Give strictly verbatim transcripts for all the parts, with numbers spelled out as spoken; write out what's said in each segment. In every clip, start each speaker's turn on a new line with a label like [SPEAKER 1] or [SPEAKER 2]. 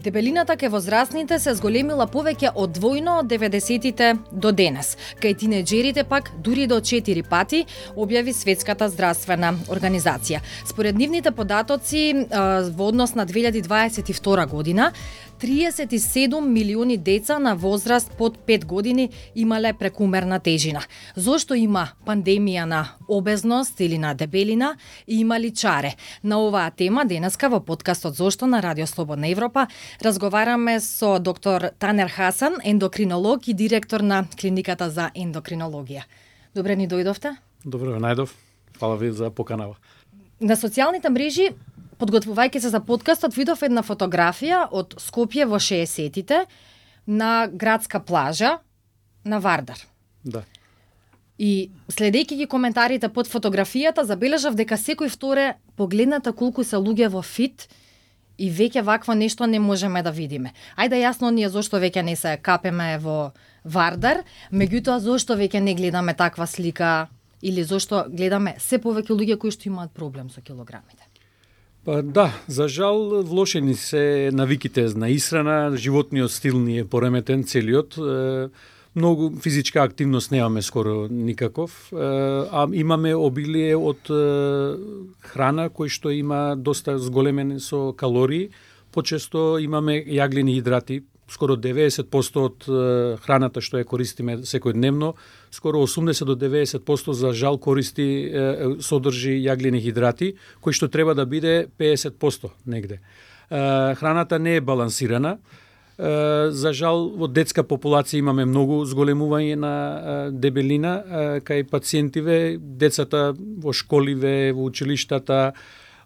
[SPEAKER 1] Дебелината кај возрастните се зголемила повеќе од двојно од деветдесетите до денес. Кај тинеџерите пак дури до четири пати, објави Светската здравствена организација. Според нивните податоци во однос на две илјади дваесет и втора година, триесет и седум милиони деца на возраст под пет години имале прекумерна тежина. Зошто има пандемија на обезност или на дебелина и има ли чаре? На оваа тема денеска во подкастот Зошто на Радио Слободна Европа разговараме со доктор Танер Хасан, ендокринолог и директор на Клиниката за ендокринологија. Добре ни дојдовте?
[SPEAKER 2] Добро ве најдов. Фала ви за поканава.
[SPEAKER 1] На социјалните мрежи, подготвувајќи се за подкастот, видов една фотографија од Скопје во шеесеттите на градска плажа на Вардар.
[SPEAKER 2] Да.
[SPEAKER 1] И следејќи ги коментарите под фотографијата, забележав дека секој вторе погледната колку се луѓе во фит и веќе вакво нешто не можеме да видиме. Ајде јасно ние зошто веќе не се капеме во Вардар, меѓутоа зошто веќе не гледаме таква слика или зошто гледаме се повеќе луѓе кои што имаат проблем со килограмите?
[SPEAKER 2] Па да, за жал влошени се навиките на исхрана, животниот стил ни е пореметен целиот. Многу физичка активност немаме скоро никаков, а имаме обилие од храна кој што има доста зголемен со калории. Почесто имаме јаглени хидрати, скоро деветдесет проценти од храната што ја користиме секојдневно, скоро осумдесет до деветдесет проценти за жал користи содржи јаглени хидрати, кој што треба да биде педесет проценти негде. Храната не е балансирана. За жал, во детска популација имаме многу зголемување на дебелина кај пациентиве, децата во школиве, во училиштата,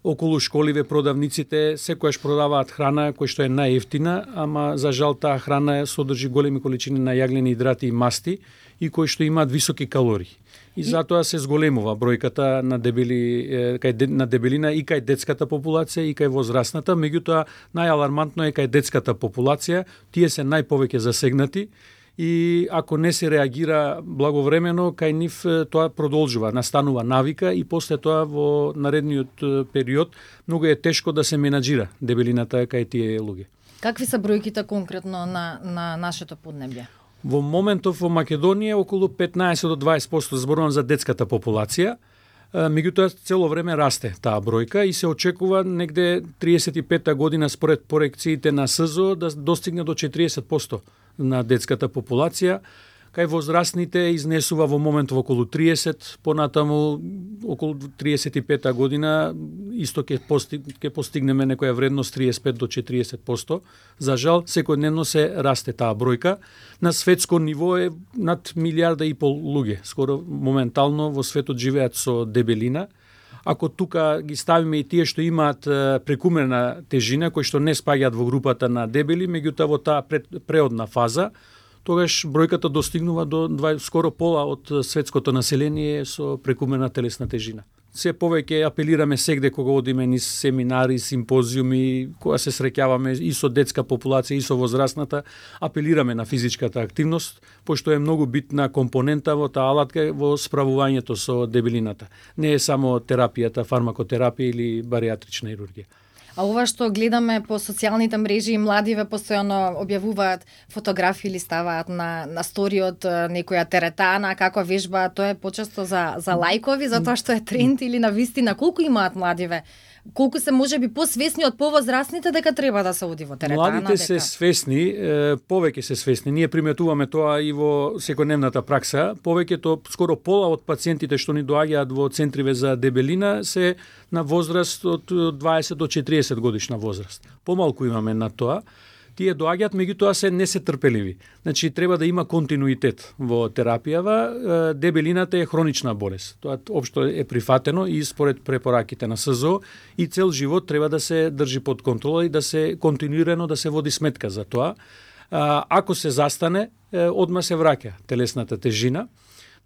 [SPEAKER 2] околу школиве продавниците секојаш продаваат храна која што е најевтина, ама за жал таа храна содржи големи количини на јаглени хидрати и масти и кои што имаат високи калории. И затоа се зголемува бројката на дебели кај на дебелина и кај детската популација и кај возрастната, меѓутоа најалармантно е кај детската популација, тие се најповеќе засегнати. И ако не се реагира благовремено, кај нив тоа продолжува, настанува навика и после тоа во наредниот период многу е тешко да се менаџира дебелината кај тие луѓе.
[SPEAKER 1] Какви се бројките конкретно на, на нашето поднебје?
[SPEAKER 2] Во моментов во Македонија околу петнаесет до дваесет проценти зборувам за детската популација, меѓутоа цело време расте таа бројка и се очекува негде триесет и пета година според корекциите на СЗО да достигне до четириесет проценти на детската популација. Кај возрастните изнесува во моментов околу триесет, понатаму околу триесет и пета година исто ќе постиг, ќе постигнеме некоја вредност триесет и пет до четириесет проценти. За жал, секојдневно се расте таа бројка. На светско ниво е над милијарда и пол луѓе. Скоро моментално во светот живеат со дебелина. Ако тука ги ставиме и тие што имаат прекумерна тежина, кои што не спаѓаат во групата на дебели, меѓутоа во таа преодна фаза, тогаш бројката достигнува до скоро пола од светското население со прекумерна телесна тежина. Се повеќе апелираме сегде кога одиме низ семинари, симпозиуми, кога се среќаваме и со детска популација и со возрастната, апелираме на физичката активност, пошто е многу битна компонента во таа алатка во справувањето со дебелината. Не е само терапијата, фармакотерапија или баријатрична хирургија.
[SPEAKER 1] А ова што гледаме по социјалните мрежи и младиве постојано објавуваат фотографии или ставаат на, на сториот некоја теретана, како вежба, тоа е почесто за, за лајкови, затоа што е тренд или на вистина. Колку имаат младиве? Колку се можеби посвесни од повозрастните дека треба да се оди во теретана?
[SPEAKER 2] Младите дека... се свесни, повеќе се свесни. Ние приметуваме тоа и во секојдневната пракса. Повеќето, скоро пола од пациентите што ни доаѓаат во центриве за дебелина се на возраст од дваесет до четириесет годишна возраст. Помалку имаме на тоа. Тие доаѓаат, меѓутоа се не се трпеливи. Значи треба да има континуитет во терапијава. Дебелината е хронична болест. Тоа општо е прифатено и според препораките на СЗО и цел живот треба да се држи под контрола и да се континуирано да се води сметка за тоа. Ако се застане, одма се враќа телесната тежина.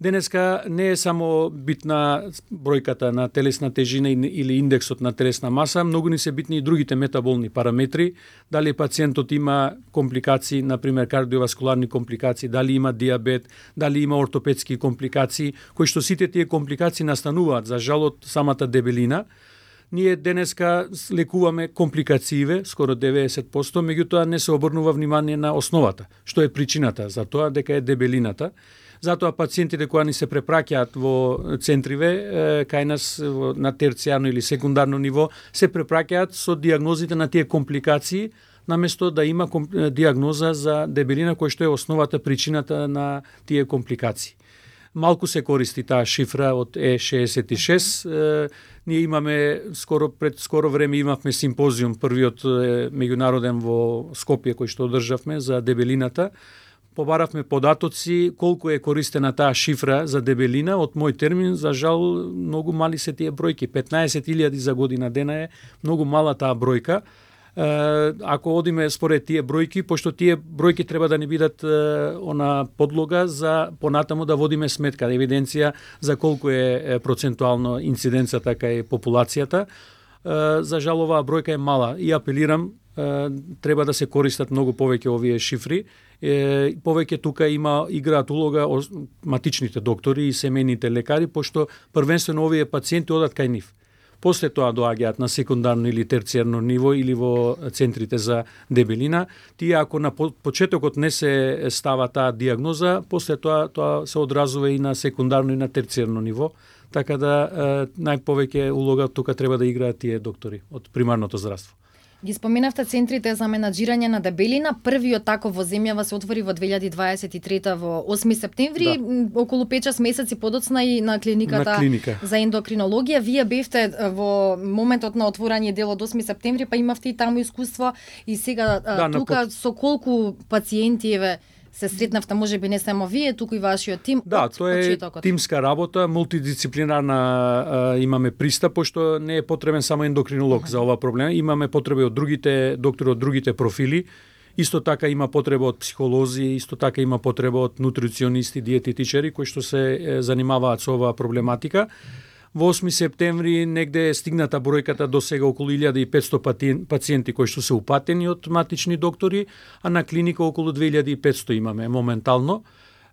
[SPEAKER 2] Денеска не е само битна бројката на телесна тежина или индексот на телесна маса, многу ни се битни и другите метаболни параметри, дали пациентот има компликации, например кардиоваскуларни компликации, дали има диабет, дали има ортопедски компликации, кои што сите тие компликации настануваат за жал од самата дебелина. Ние денеска лекуваме компликацииве, скоро деветдесет проценти, меѓутоа не се обрнува внимание на основата, што е причината за тоа, дека е дебелината. Затоа пациентите кои ни се препраќаат во центриве, кај нас на терцијарно или секундарно ниво, се препраќаат со диагнозите на тие компликации, наместо да има диагноза за дебелина која што е основата, причината на тие компликации. Малку се користи таа шифра од Е шеесет и шест. Е, ние имаме скоро пред скоро време имавме симпозиум, првиот е, меѓународен во Скопје кој што одржавме за дебелината. Побаравме податоци колку е користена таа шифра за дебелина. Од мој термин, за жал, многу мали се тие бројки. петнаесет илјади за година дена е многу мала таа бројка. Ако одиме според тие бројки, пошто тие бројки треба да ни бидат она подлога за понатаму да водиме сметка, евиденција за колку е процентуално инциденцата кај популацијата. За жал оваа бројка е мала и апелирам, треба да се користат многу повеќе овие шифри. Повеќе тука има играат улога матичните доктори и семејните лекари, пошто првенствено овие пациенти одат кај нив. После тоа доаѓаат на секундарно или терцијарно ниво или во центрите за дебелина. Тие ако на почетокот не се става таа диагноза, после тоа тоа се одразува и на секундарно и на терцијарно ниво. Така да најповеќе улога тука треба да играат тие доктори од примарното здравство.
[SPEAKER 1] Ги споменавте центрите за менаџирање на дебелина. Првиот таков во земјава се отвори во две илјади дваесет и трета во осми септември, да. Околу пет-шест месеци подоцна и на клиниката
[SPEAKER 2] на клиника
[SPEAKER 1] за ендокринологија. Вие бевте во моментот на отворање дел од осми септември, па имавте и таму искуство и сега да, тука под... со колку пациенти еве се сретнавте, може би не само вие, туку и вашиот тим?
[SPEAKER 2] Да, тоа е почетокот. Тимска работа, мултидисциплинарна а, имаме пристап, пошто не е потребен само ендокринолог uh-huh. за ова проблема. Имаме потреби од другите доктори, од другите профили. Исто така има потреба од психолози, исто така има потреба од нутриционисти, диететичари, кои што се е, занимаваат со оваа проблематика. Во осми септември негде е стигната бројката до сега околу илјада и петсто пациенти кои што се упатени од матични доктори, а на клиника околу две илјади и петсто имаме моментално.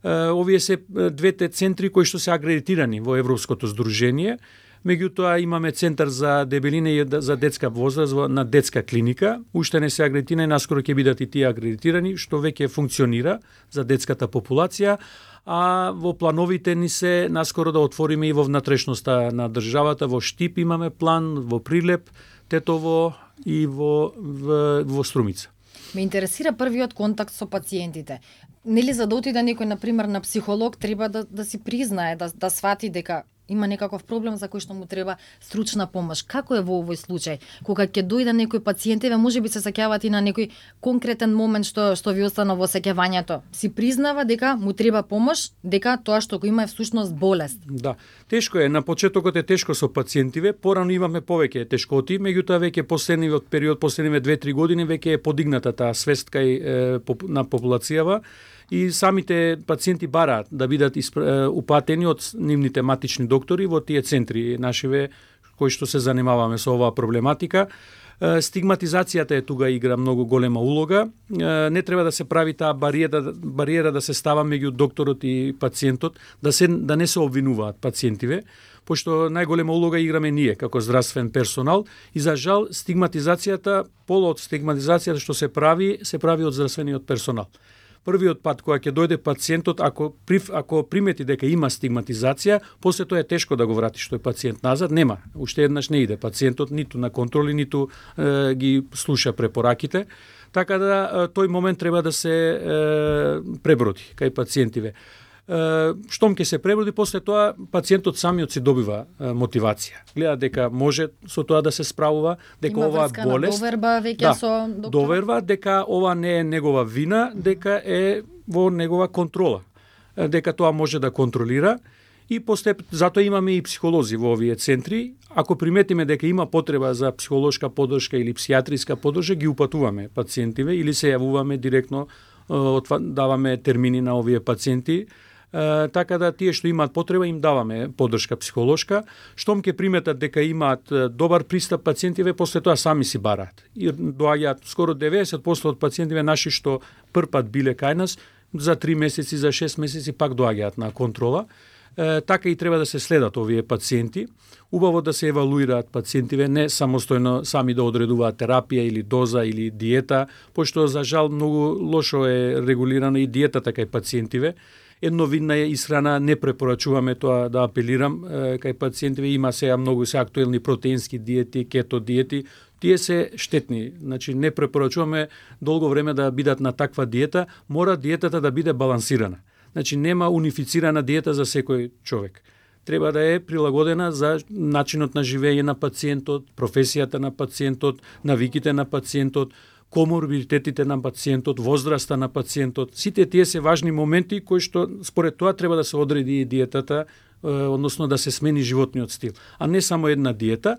[SPEAKER 2] Овие се двете центри кои што се акредитирани во Европското здружение. Меѓутоа имаме центар за дебелина и за детска возраст на детска клиника. Уште не се акредитирани, наскоро ќе бидат и тие акредитирани, што веќе функционира за детската популација. А во плановите ни се наскоро да отвориме и во внатрешноста на државата, во Штип имаме план, во Прилеп, Тетово и во, во, во Струмица.
[SPEAKER 1] Ме интересира првиот контакт со пациентите. Нели за да отиде некој, например, на психолог, треба да, да си признае, да, да свати дека има некаков проблем за кој што му треба стручна помош. Како е во овој случај? Кога ќе дојде некој пациент, еве можеби се сеќавате и на некој конкретен момент што што ви остана во сеќавањето. Си признава дека му треба помош, дека тоа што го има е всушност болест.
[SPEAKER 2] Да, тешко е. На почетокот е тешко со пациентиве, порано имаме повеќе тешкоти, меѓутоа веќе последниот период, последниве две-три години веќе е подигната таа свест кај е, на популацијава. И самите пациенти бараат да бидат упатени од нивните матични доктори во тие центри нашиве кои што се занимаваме со оваа проблематика. Стигматизацијата е тука игра многу голема улога. Не треба да се прави таа бариера, бариера да се става меѓу докторот и пациентот, да се да не се обвинуваат пациентиве, пошто најголема улога играме ние како здравствен персонал и за жал стигматизацијата, поло од стигматизацијата што се прави, се прави од здравствениот персонал. Првиот пат кога ќе дојде пациентот, ако прив, ако примети дека има стигматизација, после тоа е тешко да го вратиш тој пациент назад, нема. Уште еднаш не иде пациентот ниту на контроли, ниту е, ги слуша препораките, така да е, тој момент треба да се е, преброди кај пациентиве. Штом ќе се преброди, после тоа пациентот самиот си добива е, мотивација. Гледа дека може со тоа да се справува, дека
[SPEAKER 1] има
[SPEAKER 2] оваа болест
[SPEAKER 1] доверба веќе
[SPEAKER 2] да,
[SPEAKER 1] со доктор.
[SPEAKER 2] Доверба дека ова не е негова вина, дека е во негова контрола, дека тоа може да контролира и постеп затоа имаме и психолози во овие центри. Ако приметиме дека има потреба за психолошка поддршка или псијатриска поддршка, ги упатуваме пациентиве или се јавуваме директно, даваме термини на овие пациенти. Uh, така да тие што имаат потреба им даваме поддршка психолошка. Штом ќе приметат дека имаат добар пристап пациентиве, после тоа сами си бараат. И доаѓаат скоро деветдесет проценти од пациентиве наши што прв пат биле кај нас, за три месеци, за шест месеци пак доаѓаат на контрола. Е, така и треба да се следат овие пациенти. Убаво да се евалуираат пациентиве, не самостојно сами да одредуваат терапија или доза или диета, пошто за жал многу лошо е регулирана и диетата кај пациентиве. Едновидна е исхрана, не препорачуваме тоа, да апелирам, е, кај пациентиве има сега многу се актуелни протеински диети, кето диети, тие се штетни. Значи не препорачуваме долго време да бидат на таква диета, мора диетата да биде балансирана. Значи нема унифицирана диета за секој човек. Треба да е прилагодена за начинот на живење на пациентот, професијата на пациентот, навиките на пациентот, коморбидитетите на пациентот, возраста на пациентот. Сите тие се важни моменти кои што според тоа треба да се одреди и диетата, односно да се смени животниот стил, а не само една диета.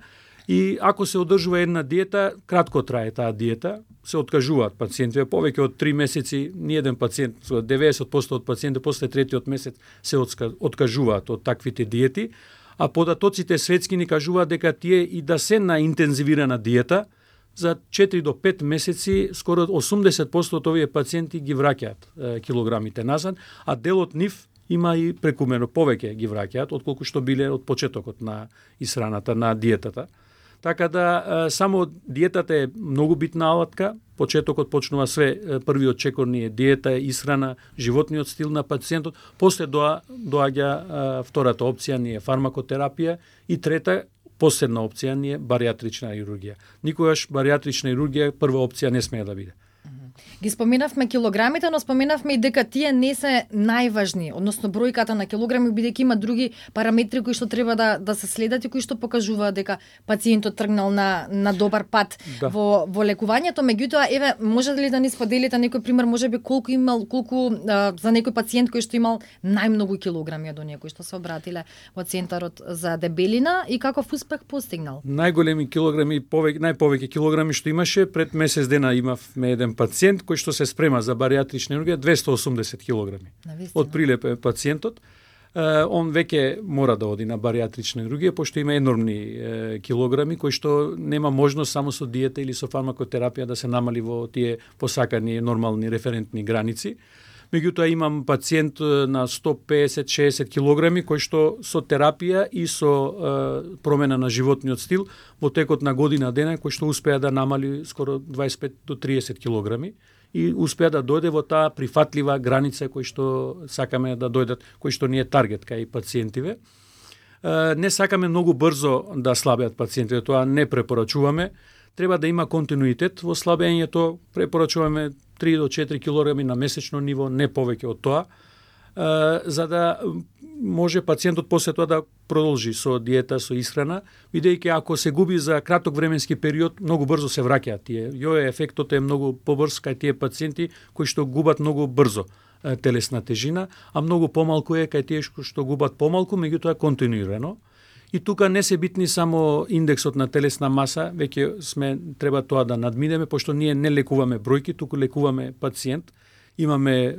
[SPEAKER 2] И ако се одржува една диета, кратко трае таа диета, се откажуваат пациентите. Повеќе од три месеци, ни еден пациент, деветдесет проценти од пациентите после третиот месец се откажуваат од таквите диети, а податоците светски ни кажуваат дека тие и да се на интензивирана диета, за четири до пет месеци скоро осумдесет проценти од овие пациенти ги враќаат е, килограмите назад, а дел од нив има и прекумерно повеќе ги враќаат отколку што биле од почетокот на исхраната, на диетата. Така да само диетата е многу битна алатка. Почетокот почнува све, првиот чекор ни е диета, исхрана, животниот стил на пациентот, после доа доаѓа втората опција ни е фармакотерапија и трета последна опција ни е баријатрична хирургија. Никогаш баријатрична хирургија прва опција не смее да биде.
[SPEAKER 1] Ги споменавме килограмите, но споменавме и дека тие не се најважни, односно бројката на килограми, бидејќи има други параметри кои што треба да да се следат и кои што покажуваат дека пациентот тргнал на на добар пат да. во во лекувањето. Меѓутоа, еве, може ли да ни споделите некој пример, можеби колку имал, колку а, за некој пациент кој што имал најмногу килограми до некој што се обратиле во центарот за дебелина и каков успех постигнал?
[SPEAKER 2] Најголеми килограми, повеќе најповеќе килограми што имаше, пред месец дена имавме еден пациент кој што се спрема за баријатрична хирургија, двесте и осумдесет килограми. Од прилеп е пациентот. Он веќе мора да оди на баријатрична хирургија, пошто има енормни е, килограми кои што нема можност само со диета или со фармакотерапија да се намали во тие посакани нормални референтни граници. Меѓутоа имам пациент на сто песет до шеесет килограми кој што со терапија и со е, промена на животниот стил во текот на година дена кој што успеа да намали скоро дваесет и пет до триесет килограми и успеа да дојде во таа прифатлива граница кој што сакаме да дојдат, кој што ни е таргет кај пациентиве. Е, не сакаме многу брзо да слабеат пациентите, тоа не препорачуваме. Треба да има континуитет во слабењето, препорачуваме три до четири килограми на месечно ниво, не повеќе од тоа, за да може пациентот после тоа да продолжи со диета, со исхрана, бидејќи ако се губи за краток временски период, многу брзо се враќаат тие. Јој ефектот е многу побрз кај тие пациенти кои што губат многу брзо телесна тежина, а многу помалку е кај тие што губат помалку, меѓутоа континуирано. И тука не се битни само индексот на телесна маса, веќе сме треба тоа да надминеме, пошто ние не лекуваме бројки, туку лекуваме пациент. Имаме е,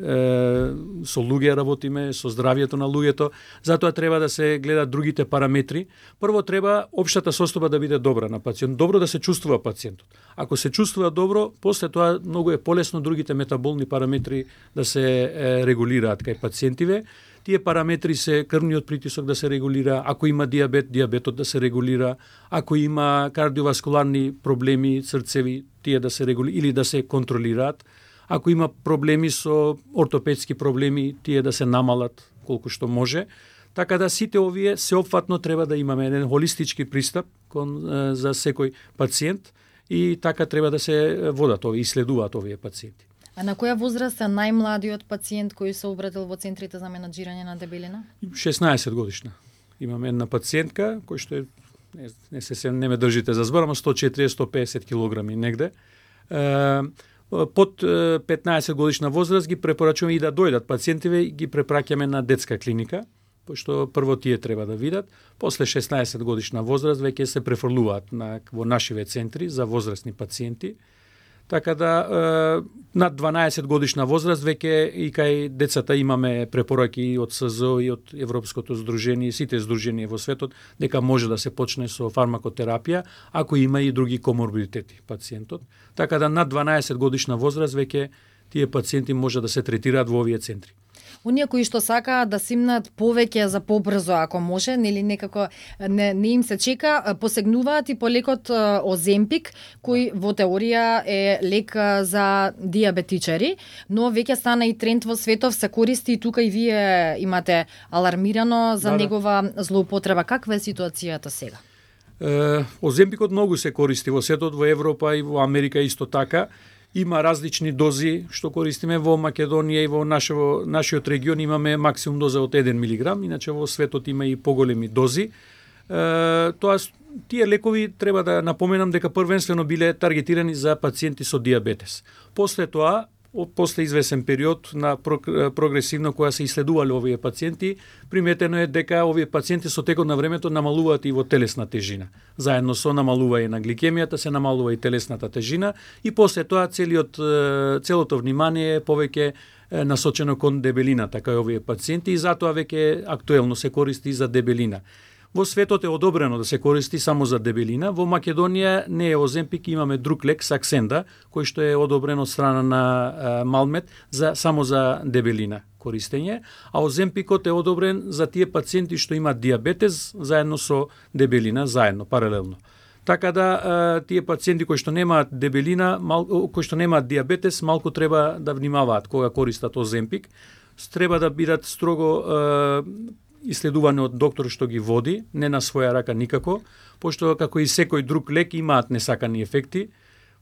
[SPEAKER 2] со луѓе работиме, со здравјето на луѓето, затоа треба да се гледат другите параметри. Прво треба општата состојба да биде добра на пациент, добро да се чувствува пациентот. Ако се чувствува добро, после тоа многу е полесно другите метаболни параметри да се е, регулираат кај пациентиве. Тие параметри се крвниот притисок да се регулира, ако има диабет, диабетот да се регулира, ако има кардиоваскуларни проблеми, срцеви, тие да се регулира или да се контролираат. Ако има проблеми со ортопедски проблеми, тие да се намалат колку што може. Така да сите овие сеопфатно треба да имаме еден холистички пристап кон, за секој пациент и така треба да се водат овие, исследуваат овие пациенти.
[SPEAKER 1] А на која возраст е најмладиот пациент кој се обратил во центрите за менаџирање на дебелина?
[SPEAKER 2] шеснаесет годишна. Имаме една пациентка кој што е, не, не се се не ме држите за збор, ама сто четириесет до сто песет килограми негде. Е, под петнаесет годишна возраст ги препорачуваме и да дојдат пациентиве и ги препраќаме на детска клиника, пошто прво тие треба да видат, после шеснаесет годишна возраст веќе се префрлуваат на во нашиве центри за возрастни пациенти. Така да е, над дванаесет годишна возраст веќе и кај децата имаме препораки од С З О и од Европското здружение, сите здруженија во светот, дека може да се почне со фармакотерапија, ако има и други коморбидитети пациентот. Така да над дванаесет годишна возраст веќе тие пациенти може да се третираат во овие центри.
[SPEAKER 1] Оние кои што сакаат да симнат повеќе за побрзо ако може, нели некако не, не им се чека, посегнуваат и по лекот Оземпик, кој во теорија е лек за диабетичари, но веќе стана и тренд во светов, се користи и тука и вие имате алармирано за да, негова да. злоупотреба. Каква е ситуацијата сега?
[SPEAKER 2] Е, Оземпикот многу се користи во светот, во Европа и во Америка исто така. Има различни дози што користиме во Македонија и во нашо, нашиот регион имаме максимум доза од еден милиграм, иначе во светот има и поголеми дози. Е, тоа тие лекови треба да напоменам дека првенствено биле таргетирани за пациенти со диабетес. После тоа, после извесен период на прогресивно која се исследувале овие пациенти, приметено е дека овие пациенти со текот на времето намалуваат и во телесна тежина. Заедно со намалување на гликемијата се намалува и телесната тежина и после тоа целиот целото внимание е повеќе насочено кон дебелината кај овие пациенти и затоа веќе актуелно се користи за дебелина. Во светот е одобрено да се користи само за дебелина. Во Македонија не е Оземпик, имаме друг лек, Саксенда, кој што е одобрен од страна на а, Малмед за само за дебелина користење, а Оземпикот е одобрен за тие пациенти што имаат диабетес заедно со дебелина, заедно, паралелно. Така да а, тие пациенти кои што немаат дебелина, мал, кои што немаат диабетес, малку треба да внимаваат кога користат Оземпик. Треба да бидат строго а, исследуване од доктор што ги води, не на своја рака никако, пошто како и секој друг лек имаат несакани ефекти,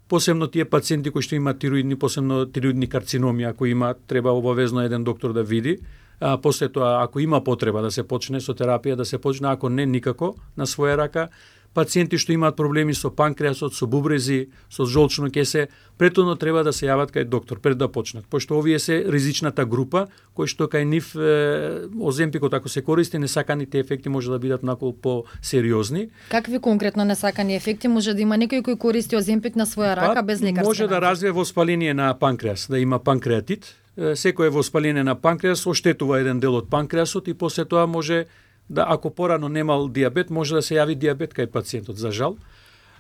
[SPEAKER 2] посебно тие пациенти кои што имаат тироидни, посебно тироидни карциноми, ако имаат, треба обавезно еден доктор да види, а после тоа ако има потреба да се почне со терапија, да се почне, ако не никако на своја рака. Пациенти што имаат проблеми со панкреасот, со бубрези, со жолчно кесе, претhodно треба да се јават кај доктор пред да почнат, пошто овие се ризичната група кои што кај нив е, Оземпикот ако се користи, несаканите ефекти може да бидат накол по-сериозни.
[SPEAKER 1] Какви конкретно несакани ефекти може да има некој кој користи Оземпик на своја рака па, без лекарска?
[SPEAKER 2] Може да развие воспаление на панкреас, да има панкреатит. Секој воспаление на панкреас оштетува еден дел од панкреасот и после тоа може да ако порано немал диабет, може да се јави диабет кај пациентот, за жал.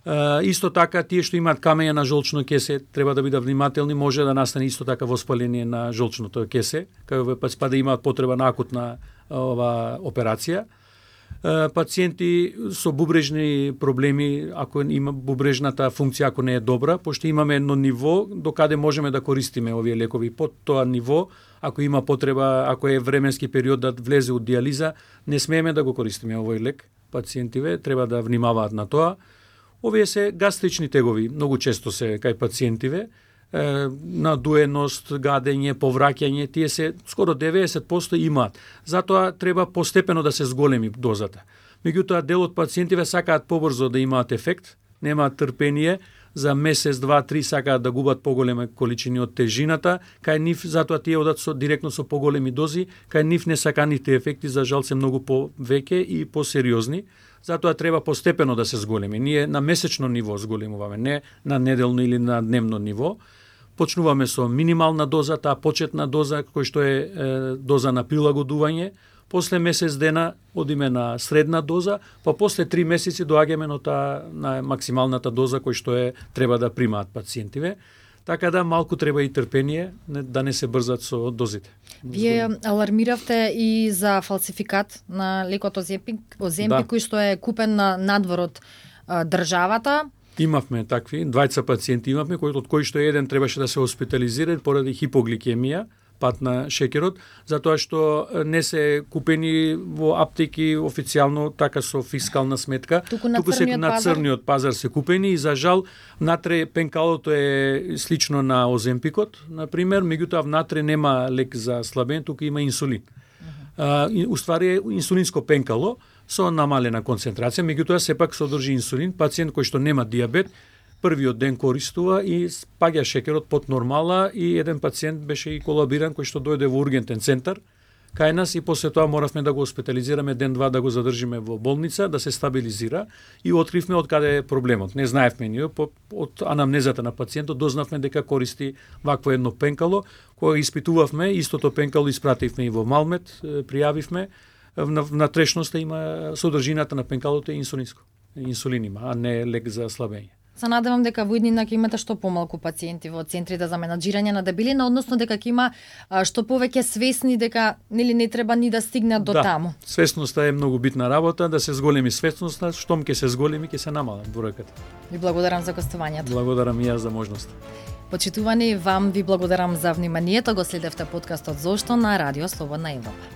[SPEAKER 2] Uh, исто така, тие што имаат камења на жолчно кесе, треба да бидат внимателни, може да настане исто така воспаление на жолчното кесе, кај па да имаат потреба на акутна ова операција. Uh, пациенти со бубрежни проблеми, ако има бубрежната функција, ако не е добра, пошто имаме едно ниво до каде можеме да користиме овие лекови. Под тоа ниво, ако има потреба, ако е временски период да влезе од диализа, не смееме да го користиме овој лек. Пациентиве треба да внимаваат на тоа. Овие се гастрични тегови, многу често се кај пациентиве, е, надуеност, гадење, повраќање, тие се скоро деветдесет проценти имаат. Затоа треба постепено да се зголеми дозата. Меѓутоа, дел од пациентиве сакаат побрзо да имаат ефект, немаат трпение, за месец, два, три сакаат да губат поголеми количини од тежината, кај нив затоа тие одат со директно со поголеми дози, кај нив несаканите ефекти за жал се многу повеќе и посериозни. Затоа треба постепено да се зголеми. Ние на месечно ниво зголемуваме, не на неделно или на дневно ниво. Почнуваме со минимална доза, таа почетна доза кој што е, е доза на прилагодување. После месец дена одиме на средна доза, па после три месеци доаѓаме на таа на максималната доза кој што е треба да примаат пациентиве. Така да малку треба и трпение, да не се брзат со дозите.
[SPEAKER 1] Вие алармиравте и за фалсификат на лекот Оземпик, Оземпик да. Кој што е купен на надвор од а, државата.
[SPEAKER 2] Имавме такви, двајца пациенти имавме, кој, од кои што еден требаше да се хоспитализира поради хипогликемија, пат на шекерот, затоа што не се купени во аптеки официјално така со фискална сметка,
[SPEAKER 1] туку на,
[SPEAKER 2] туку се на црниот пазар се купени и за жал внатре пенкалото е слично на Оземпикот, на пример, меѓутоа внатре нема лек за слабен, туку има инсулин. Uh, uh, уствари е инсулинско пенкало со намалена концентрација, меѓутоа сепак содржи инсулин. Пациент кој што нема диабет, првиот ден користува и паѓа шекерот под нормала и еден пациент беше и колабиран кој што дојде во ургентен центар кај нас и после тоа моравме да го хоспитализираме ден-два да го задржиме во болница, да се стабилизира и откривме од каде е проблемот. Не знаевме ние, од анамнезата на пациентот дознавме дека користи вакво едно пенкало. Кога испитувавме, истото пенкало испративме и во Малмед, пријавивме, внатрешноста има содржината на пенкалото е инсулинско. Инсулин има, а не лек за слабење.
[SPEAKER 1] Се надевам дека во иднина ќе имате што помалку пациенти во центрите за менаџирање на дебелина, односно дека ќе има а, што повеќе свесни дека нели не треба ни да стигнат до
[SPEAKER 2] да,
[SPEAKER 1] таму.
[SPEAKER 2] Свесноста е многу битна работа, да се зголеми свесноста, штом ќе се зголеми ќе се намала бројката.
[SPEAKER 1] Ви благодарам за гостувањето.
[SPEAKER 2] Благодарам и јас за можност.
[SPEAKER 1] Почитувани, вам ви благодарам за вниманието. Го следевте подкастот Зошто на Радио Слободна Европа.